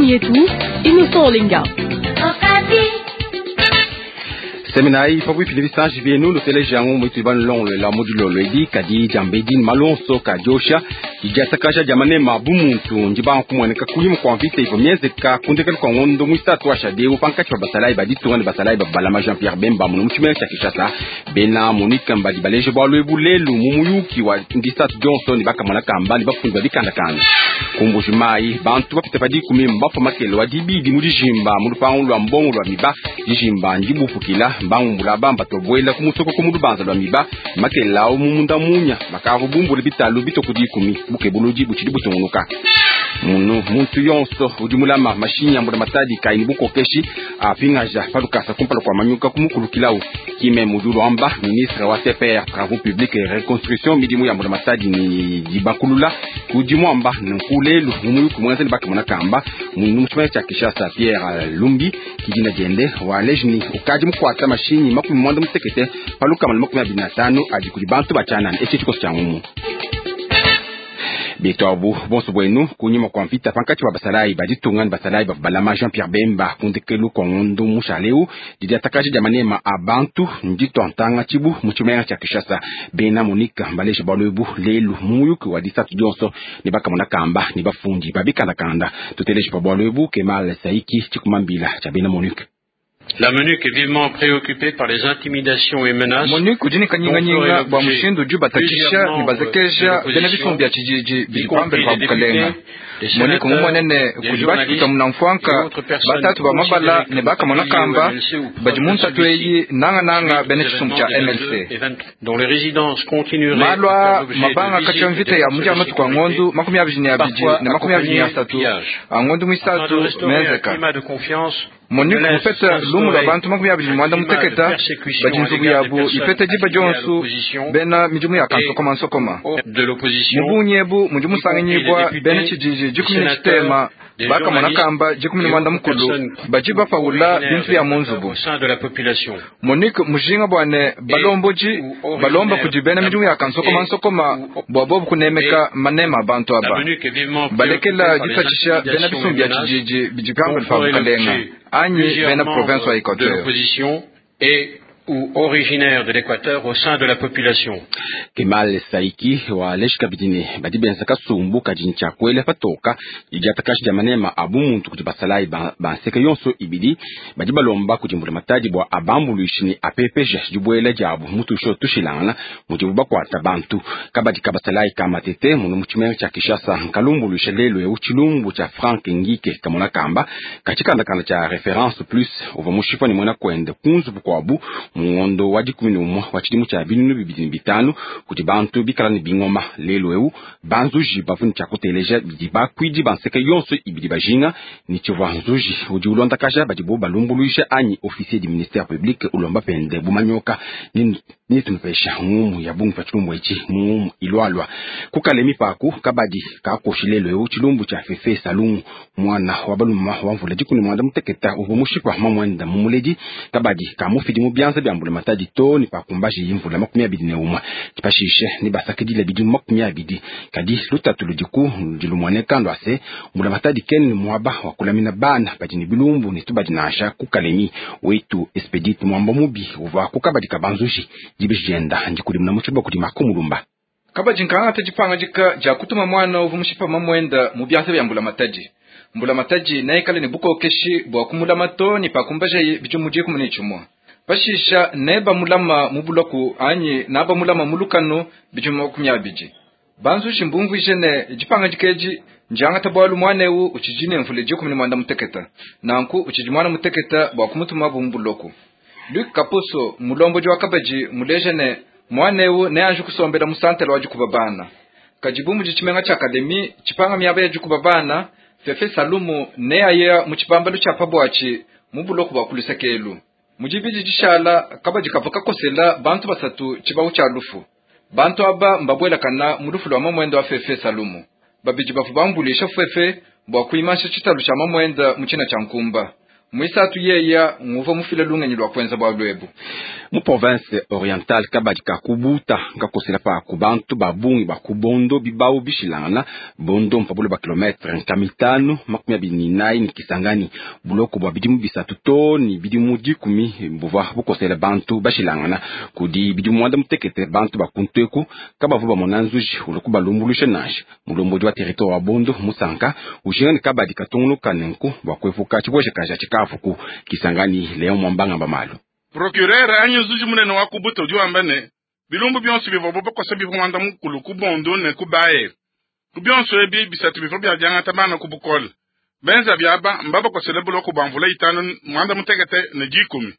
Ngumu yetu Innocent Olenga. Seminayi pabuipi ne bisanji bienu nuteleja ngumu itudi banulongoluela mu dilolo edi kadi diambedi ne malu onso kadiosha didiatakaja dia manema bu muntu ndibanga kumueneka kunyima kua mvita ivua mienzeka ku ndekelu kua ngondo muisatu wa shadeu pankatshi pa basalayi ba ditunga ne basalayi ba balama Jean Pierre Bemba muno mu tshimenga tshia Kinshasa. Bena MONUC mbadi baleje bualu ebu lelu mu muyuki wa disatu dionso ne bakamona kamba ne bafundi ba bikandakanda. Ku Mbuji Mayi bantu bapite pa dikumi mbafua makele wa dibidi mu dijimba mu lupangu lua mbongo lua miba. Dijimba ndibupukila mbangumbula aba mbatobuela ku musoko ku mu lubanza lua miba makelela awu mu munda munya bakavua bumbule bitalu bitue ku dikumi. Bukebuludi butshidi butungunuka. Munu muntu yonso udi mulama mashinyi a mbulamatadi kayi ne bukokeshi apingaja pa lukasa kumpala kua manyuka kumukulukilawu. Kime mudi ulomba ministre wa TPR Travaux Publics et Reconstruction midimu ya mbulamatadi ne dibakulula kudi muamba nunku lelu mu muyuki muenza ne bakamona kamba mu tshimenga tshia Kinshasa. Pierre Lumbi ki dina diende waleji ne ukadi mukuata mashinyi 65 pa 125 adi kudi bantu ba tshianana. Etshi tshikoso tshia ngumu. Betu abu bonso buenu kunyima kua mvita pankatshi pa basalayi ba ditunga ne basalayi bavua balama Jean Pierre Bemba ku ndekelu kua ngondo mushale eu, didiatakaja dia manema a bantu nditua ntanga tshibu mu tshimenga tshia Kinshasa. Bena MONUC mbaleje bualu ebu lelu mu muyuki wa disatu dionso ne bakamona kamba ne bafundi ba bikandakanda. Tuteleje pa bualu ebu Kemal Saiki tshikumambila tshia bena MONUC. La MONUC est vivement préoccupée par les intimidations et menaces MONUC udi ne kanyinganyinga bua mushindu udi batatshisha ne bazekeja bena bisumbu bia tshididi bidi pambelu pa bukalenga. MONUC mumone ne kudi batshikuta munamfuanka batatu ba mabala ne bakamona kamba badi mu ntatu eyi nangananga bena tshisumbu tshia MLC. Dont les résidences continueraient Malu à faire aa l'objet de mabanga visites katshia des mvita ya forces mu de dia matuku a sécurité, ngondo 23 parfois ne makumi abidi ne accompagnées de asatu pillages. a ngondo Afin de muisatu restaurer un menzeka. climat de confiance, MONUC ne laisse mupeta lumu lua s'instaurer bantu makumi abidi ne un muanda climat de muteketa persécution badi à nzubu l'égard des yabu personnes ipeta diba affiliées à dionso l'opposition bena midimu ya et kansokomansokoma. de l'opposition, Mu bungi ebu mudi y compris les musanganyibua bena députés, tshididi les dikumi ne sénateurs, tshitema des bakamona journalistes kamba dikumi ne et muanda autres mukulu personnes badi bapawula originaires bintu de bia mu l'Équateur nzubu. au sein de la population MONUC mujinga bua ne et balomboji ou balomba originaires kudi bena midimu ya et kansokomansokoma ou bua bobu kunemeka et manema a bantu la aba. MONUC est vivement préoccupée Balekela par les ditatshisha bena intimidations et bisumbu bia menaces tshididi bidi dont pambelu pa ferait bukalenga l'objet anyi plusieurs bena province wa membres de Equateur. l'opposition et ou originaires de l'Équateur au sein de la population. Kemal Saiki waleji kabidi ne badi benza kasumbu kadi ne tshiakuela patoka didiatakaja dia manema a bumuntu kudi basalayi ba ba nseke yonso ibidi badi balomba kudi mbulamatadi bua abambuluishe ne apepeje dibuela diabu mu tusho tushilangana mudibu bakuata bantu. Kabadi ka basalayi ka Matete muno mu tshimenga tshia Kinshasa nkalumbuluisha lelu eu tshilumbu tshia Frank Ngike kamona kamba katshikandakanda tshia Reference Plus uvua mushipa ne muena kuende ku nzubu kuabu mu ngondo wa 11 wa tshidimu tshia 2005 kudi bantu bikala ne bingoma. Lelu eu banzuji bavua ne tshia kuteleja bidi bakuidi ba nseke yonso ibidi bajinga ne tshivua nzuji udi ulondakaja badibo balumbuluisha anyi officier du ministère public ulomba pende bumanyoka ni tunupesha ngumu ya bungi pa tshilumbu etshi mu ngumu ilualua kukale mipaku kabadi kakoshi lelu eu tshilumbu tshia Fefe Salungu mwana wa baluma wa mvula 15 uvua mushipa mamwenda mumuledi kabadi kamufidi mu bianza bia mbulamatadi to ne pakumbaji imvula 21 pashishe ne basakidile bidimu 20 kadi lutatu ludiku ludi lumueneka lua se mbulamatadi kene muaba wa kulamina bana badi ne bilumbu ne tubadi nansha ku Kalemi wetu Expedite Mwamba Mubi uvua ku kabadi ka banzuji dibeji dienda ndikudimuna mu tshiluba kudi Marco Mulumba. Kabadi nkangata dipangadika dia kutuma mwana uvua mushipa mamwenda mu bianza bia mbulamatadi. Mbulamatadi neikale ne bukokeshi bua kumulama to ne pakumbajaye bidimu 11. Pashisha nebamulama mu buloku anyi nabamulama mu lukanu bidimu 20. Banzuji mbumvuije ne dipangadika edi ndiangata bualu mwana eu utshidi ne mvula 16. Nanku utshidi mwana muteketa bua kumutuma bu mu buloku. Luc Kaposo mulombodi wa kabadi muleje ne mwana eu neanji kusombela mu santele wa dikuba bana. Kadi bu mudi tshimenga tshia Kalemi tshipanga miaba ya dikuba bana, Fefe Salumu neaye mu tshibambalu tshia pabuatshi mu buloku bua kulusekelu. Mu dibidi dishala kabadi kavua kakosela bantu basatu tshibawu tshia lufu. Bantu aba mbabuelakana mu lufu lua mamwenda wa Fefe Salumu. Babidi bavua bambulisha Fefe bua kuimansha tshitalu tshia mamwenda mu tshina tshia nkumba. Muisatu yeya nguvua mufile lungenyi lua kuenza bualu ebu. Mu province orientale kabadi ka kubuta nkakosela pa ku bantu ba bungi ba ku Bondo bibawu bishilangana. Bondo mpa bule ba kilometre nkama 524 ne Kisangani. Buloko bua bidimu 3 to ne bidimu 10 buvua bukosela bantu bashilangana. Kudi bidimu 18 bantu ba kunteku kabavua bamona nzuji ulua kubalumbuluisha nansha. Mulombodi wa territoire wa Bondo Musanka ujinga ne kabadi katungunuka nenku bua kuepuka tshibuejakaja tshikavuku. Kisangani Leon Mwambanga Bamalu. Procureur anyi nzuji munene wa kubuta udi wamba ne bilumbu bionso bivua bakosa bivua mwanda mukulu ku Bondo ne ku Baye. Ku bionso ebi 3 bivua bya bana ku bukole. Benza byaba mbabakosele buloko bwa mvula 5 18 ne 10.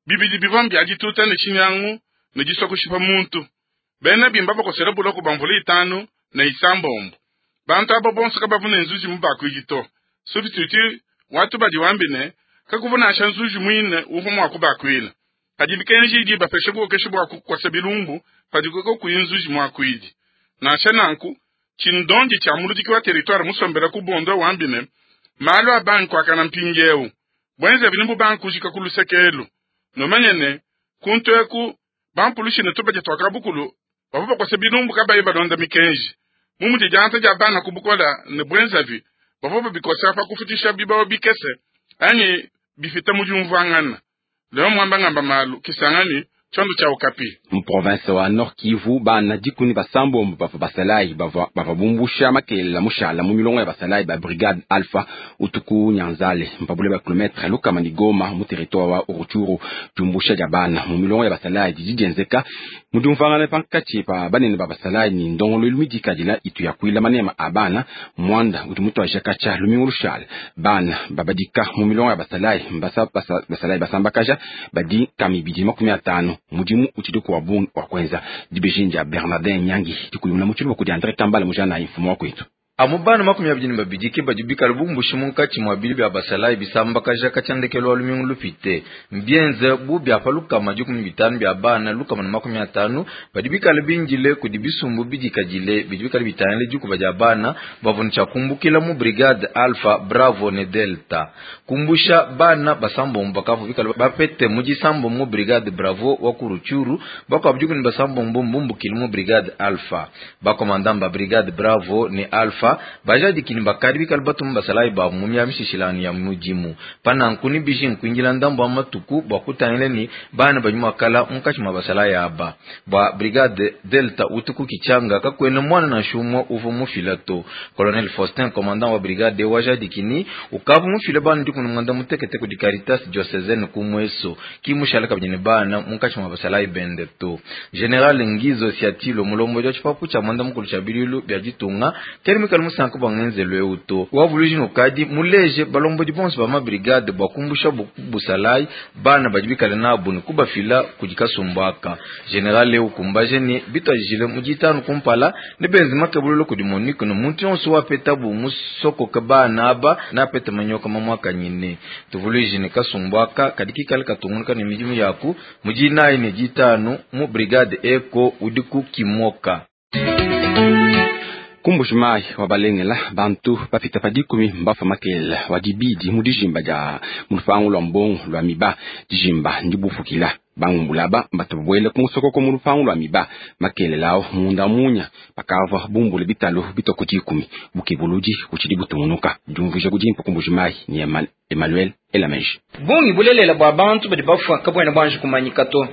Bibidi bivua bya dituta ne chinyangu ne diswa kushipa muntu. Bena bimba bakosele buloko bwa mvula 5 ne 9. Bantu abo bonso kabavuna nzuji mubakwidito. Substitute watu badi wambine kakuvuna nzuji mwine uhu mwa kubakwila. Kadi bikenji idi bapeshe bukeshe bwa kukwasa bilumbu padi koko kuyinzuji mwakwidi. Nansha nanku chindondi cha muludiki wa territoire musombela ku Bondo wambine malu abanku akana mpingieu. Bwenze bilimbu banku jika kulusekelu. Nomanyene kuntu bampulushi ne tubaje twakabukulu bavuba kwasa bilumbu kabaye balonda mikenji. Mumuti janta ja bana kubukola ne bwenzavi bavuba bikosa pa kufutisha bibawo bikese ani bifita mujumvangana. Leo mwamba ngamba malu Kisangani chondo cha Okapi. Mu province wa Nord Kivu bana dikuni basambo bava basalai bava bumbusha makelela mushala mu milongo ya basalai ba brigade Alpha utuku Nyanzale mpabule ba kilometre lukama ni Goma mu territoire wa Rutshuru. Jumbusha ja bana mu milongo ya basalai dijijenzeka mudumvangana pankati pa banene ba basalai ni ndongolo lumidikadila itu ya kuila manema abana mwanda utu ajakacha lumingu lushal bana babadika mu milongo ya basalai mbasa basalai basambakaja badi kamibidi 50 mudimu utshidi wa bungi wa kwenza. Dibejinja Bernardin Nyangi dikuyumuna mutshilu kudi Andre Kambala mujana mfumo wa kwetu. Amubana 22 ke badi bikala bumbushi munkatshi mwa bili bya basalai bisambakaja kachandekelo alumingu lupite mbienze bu bya palukama 15 bya bana lukama na 50 badi bikala binjile kudi bisumbu bidikadile bidi bikala bitanele dikuba dia bana bavuna kumbukila mu brigade Alpha Bravo ne Delta kumbusha bana basambombo bakavu bikala bapete mu disambo mu brigade Bravo wa kuruchuru bakwa bjukuni basambombo mbumbukile mu brigade Alpha bakomandamba brigade Bravo ne Alpha bajadi kini bakari bikala batum basalai ba mumya mishishilani ya mujimu panankuni biji nkwingila ndambo amatuku bwa kutanile ni bana banyuma kala mukachi mabasalai aba ba brigade Delta utuku kichanga kakwena mwana na shumwa uvu mufilato Colonel Faustin commandant wa brigade wajadi kini ukavu mufile bana ndiku nganda mutekete ku Caritas diocésaine kumweso kimushala kabine bana mukachi mabasalai bendeto General Ngizo Siatilo mulombo jo chipapu cha mwanda mukulu cha bililu bya jitunga kerimikal musanka bangenzelwe uto wavuluji nokadi muleje balombo di bonso ba ma brigade bakumbusha busalai bana bajibikale nabo ne kubafila kujikasumbaka General Leo kumbaje ni bitwajile mujitanu kumpala ne benzima kabululo kudi Monique no muntu yonso wapeta bu musoko kabana aba na peta manyoka mamwaka nyine tuvuluji ne kasumbaka kadikikale katungunuka ne mijimu yaku mujinayi ne jitanu mu brigade eko udiku kimoka. Kumbushimai wa balengela bantu bapita pa 10 mbafa makelela wa dibidi mu dijimba dia mulupangu lwa mbongo lwa miba dijimba ndibufukila bangumbulaba batubwele kumusokoko mu lupangu lwa miba makelelao munda munya bakava bumbule bitalo bitoko 10 bukebuludi kuchidi butungunuka jumvuje kudimpa Kumbushimai ni Emmanuel Elameji. Bungi bulelela bwa bantu badi bafwa kabwena bwanje kumanyika to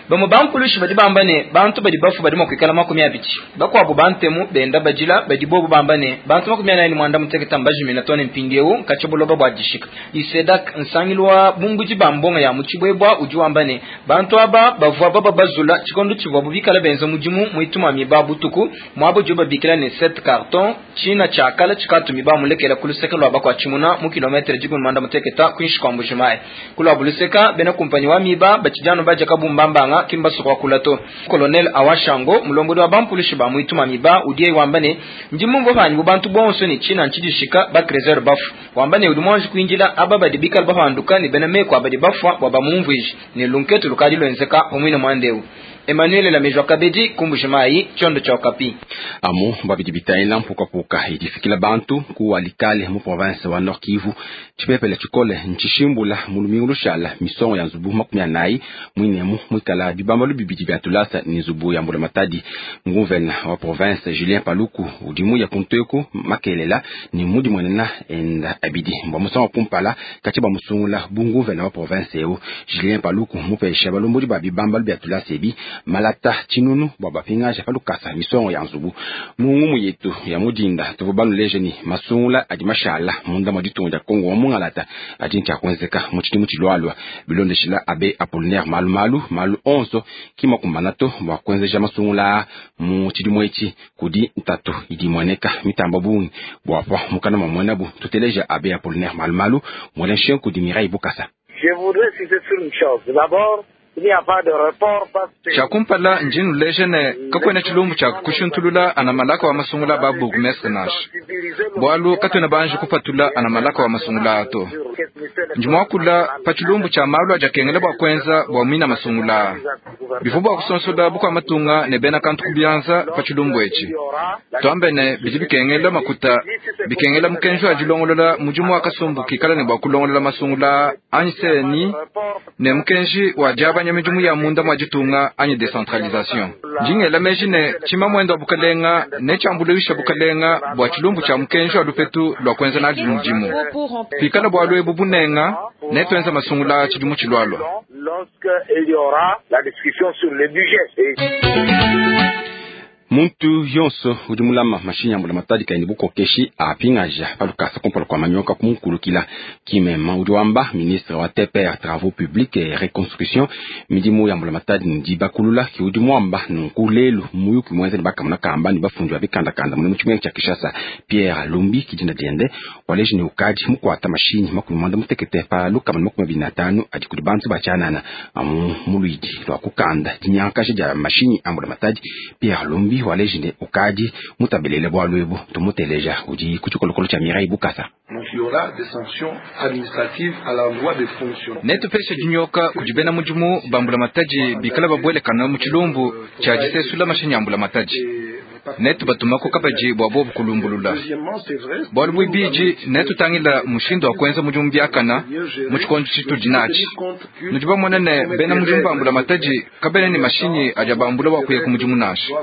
bamwe bampulushi badi bamba ne bantu badi bafwa badi mwakwikala 20 bakwabo bantemu benda bajila badi bobo bamba ne bantu 48 mbajimina tone mpindieu nkachibuloba bwa dishika isedak nsangilwa bumbuji bambonga ya muchibwebwa uji wamba ne bantu aba bavwa baba bazula chikondo chivwa bubikala benza mujimu muituma miba butuku mwabo juba bikila ne 7 carton china chakala chikatumi bamulekela kulusekelo abakwa chimuna mu kilometre jigun manda muteketa kwinshi kwa Mbujimayi kulwa buluseka bena kumpanyi wa miba bachijano baja kabumbambanga kimbaso kwa kulato Colonel Awashango mulombodi wa bampulushi ba muituma miba udiye wambane ndimumvo banyu bubantu bonso ni china nchidishika ba creser bafu wambane udumonji kuinjila aba badibikal bahanduka ni bena meko abadi bafwa baba mumviji ni lunketu lukadi lwenzeka omwine mwandeu Emmanuel Lamejwa Kabedi ku Mbuji-Mayi, Tshiondo tshia Okapi. Amu bua bidi bitangila mpukapuka idi ifikila bantu ku Walikale mu province wa Nord Kivu, tshipepele tshikole ntshishimbula mu lumingu lushala misongo ya nzubu 40 muinemu muikala bibambalu bibidi bia tulasa ne nzubu ya mbulamatadi. Nguvena wa province Julien Paluku udi muya kuntu eku makelela ne mudimuenena enda abidi mbua musangu wa kumpala katshia bamusungula bu nguvena wa province eu. Julien Paluku mupesha balombodi ba bibambalu bia tulasa ebi malata tshinunu bua bapingaja pa lukasa misongo ya nzubu. Mu ngumu yetu ya mudinda tuvua banuleje ne masungula adi mashala munda mwa ditunga dia Kongo wa mungalata adi ntshia kuenzeka mu tshidimu tshilualua. Bilondeshila abe Apollinaire Malumalu, malu onso ki makumbana to bua kuenzeja masungula mu tshidimu etshi kudi ntatu idi imueneka mitamba bungi bua pa mukana mwa muenabu. Tuteleja abe Apollinaire Malumalu muela nshenku di Mireille Bukasa. Je voudrais insister sur une chose. D'abord, il n'y a pas de report parce que Tshia kumpala ndi nuleja ne kakuena tshilumbu tshia kushuntulula ana malaka wa masungula ba bourgmestre nansha. Bualu katuena banji kupatula ana malaka wa masungula ato. Ndi muakula pa tshilumbu tshia malu adi akengela bua kuenza bua muina masungula. Bivua bua kusonsola bukua matunga ne bena kantu ku bianza pa tshilumbu etshi. Tuambe ne bidi bikengela makuta, bikengela mukenji wa dilongolola mudimu wa kasumbu kikala ne bua kulongolola masungula anyi CENI ne mukenji wa diabanya midimu ya munda mwa ditunga anyi decentralisation. Ndingela meji ne tshima muendo wa bukalenga ne tshiambuluisha bukalenga bua tshilumbu tshia mukenji wa lupetu lua kuenza nadi mudimu. Pikala bualu ebu bunenga ne tuenza masungula tshidimu tshilualua. Lorsque il y aura la discussion sur le budget. Et Muntu yonso udi mulama mashinyi a mbulamatadi kayi ne bukokeshi apingaja pa lukasa kumpala kua manyoka kumukulukila. Kimema udi wamba ministre wa TPR travaux publics et reconstruction midimu ya mbulamatadi ne dibakulula ki udi muamba nunku lelu muyuki muenza ne bakamona kamba ne bafundi ba bikandakanda mune mu tshimenga tshia Kinshasa. Pierre Lumbi kidinda diende waleji ne ukadi mukuata mashinyi 56 pa 125 adi kudi bantu ba tshianana amu muluidi lua kukanda dinyankaja dia mashinyi a mbulamatadi. Pierre Lumbi waleji ne ukadi mutabelele bualu ebu tumuteleja udi ku tshikolokolo tshia Mireille Bukasa. Donc il y aura des sanctions administratives à l'endroit des fonctionnaires. Netupeshe dinyoka kudi bena mudimu ba mbulamatadi bikala babuelekana mu tshilumbu tshia disesula mashinyi a mbulamatadi. Netubatumako kabadi bua bobu kulumbulula. Bualu buibidi netutangila mushindu wa kuenza mudimu biakana mu tshikondo tshitudi natshi. Nudi bamone ne bena mudimu ba mbulamatadi kabena ne mashinyi adi abambula bua kuya ku mudimu nansha.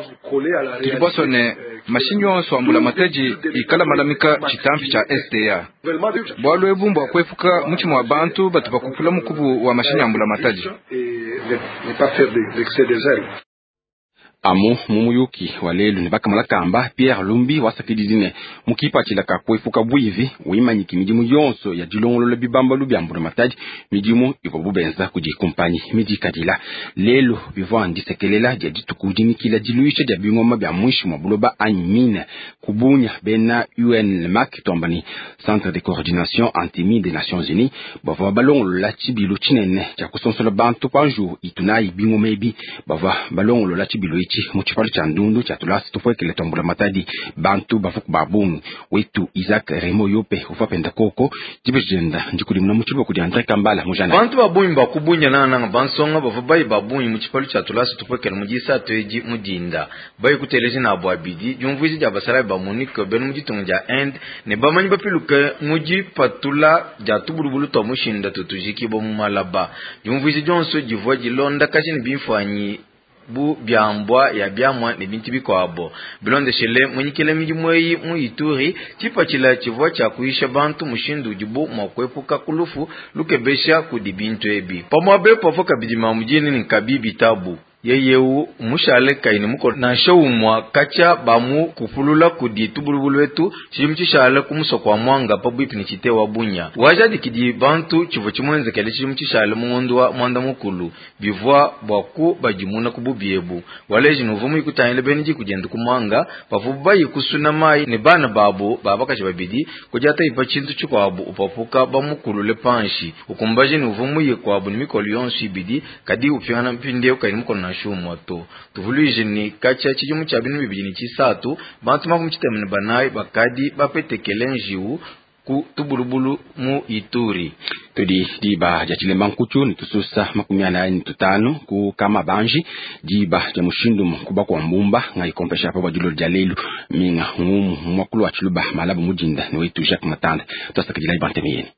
Tudi basue ne mashinyi onso a mbulamatadi ikala malamika tshitampi tshia STA. Bualu ebu mbua kuepuka mutshima wa bantu batu bakupula mukubu wa mashinyi a mbulamatadi. Et ne pas faire des excès de zèle. Amu mu muyuki wa lelu ne bakamala kamba Pierre Lumbi wasakididi ne mukipatshila ka kuepuka buivi wimanyiki midimu yonso ya dilongolola bibambalu bia mbulamatadi midimu ivua bubenza kudi kumpanyi midikadila. Lelu bivua ndisekelela dia dituku dinikila diluisha dia bingoma bia muinshi mwa buloba anyi mine kubunya bena UNMAC tuamba ni Centre de Coordination Anti-Mine des Nations Unies bavua balongolola tshibilu tshinene tshia kusonsola bantu pa njuwu itunayi bingoma ebi. Bavua balongolola tshibilu etshi mu tshipalu tshia ndundu tshia tulasa tupuekele twa mbulamatadi. Bantu bavua ku ba bungi. Wetu Isaac Remo Yope uvua penda koko dibeji dienda ndikudimuna mu tshiluba kudi Andre Kambala mujana. Bantu ba bungi ba kubunya nangananga bansonga bavua bayi ba bungi mu tshipalu tshia tulasa tupuekele mu disatu edi mu dinda. Bayi kuteleja nabu abidi diumvuija dia basalayi ba MONUC bena mu ditunga dia Inde ne bamanyi bapiluke mu dipatula dia tubulubulu tua mushinda tutujikibua mu malaba. Diumvuija dionso divua dilondakaja ne bimfuanyi bu biambua ya biamua ne bintu bikuabo. Bilondeshele munyikile midimu eyi mu Ituri, tshipatshila tshivua tshia kuyisha bantu mushindu udibu mua kuepuka ku lufu lukebesha kudi bintu ebi. Pamuapa pavua kabidi mamu diene ne nkabi bitabu. Yeye mushale kayi ne mukolo nansha umua katshia bamukupulula kudi tubulubulu etu tshidimu tshishale ku musoko wa Mwanga pabuipi ne tshite wa Bunya. Wajadikidi bantu tshivua tshimuenzekele tshidimu tshishale mu ngondo wa mwanda mukulu bivua bua kubadimuna ku bubi ebu. Waleji nuvua muyikutangila bena diku diende ku Mwanga bavua bayi kusuna mayi ne bana babo ba bakaji babidi kudiata ipa tshintu tshikuabu upapuka bamukulule panshi ukumbaje nuvua muye kuabu ne mikolo yonso ibidi kadi upingana mpindieu kayi ne mukolo nansha umue to. Tuvuluije ne katshia tshidimu tshia 2023 bantu 64 bakadi bapetekele njiwu ku Tubulubulu mu Ituri. Tudi diba dia tshilemba nkutu ne tususa 45 ku Kamabanji, diba dia mushindu kuba kwa mbumba ngai kompesha pa bua dia lelu minga ngumu mwakulu wa tshiluba malabu mudinda ne wetu Jacques Matanda. Twasakidila ibanteme yenu.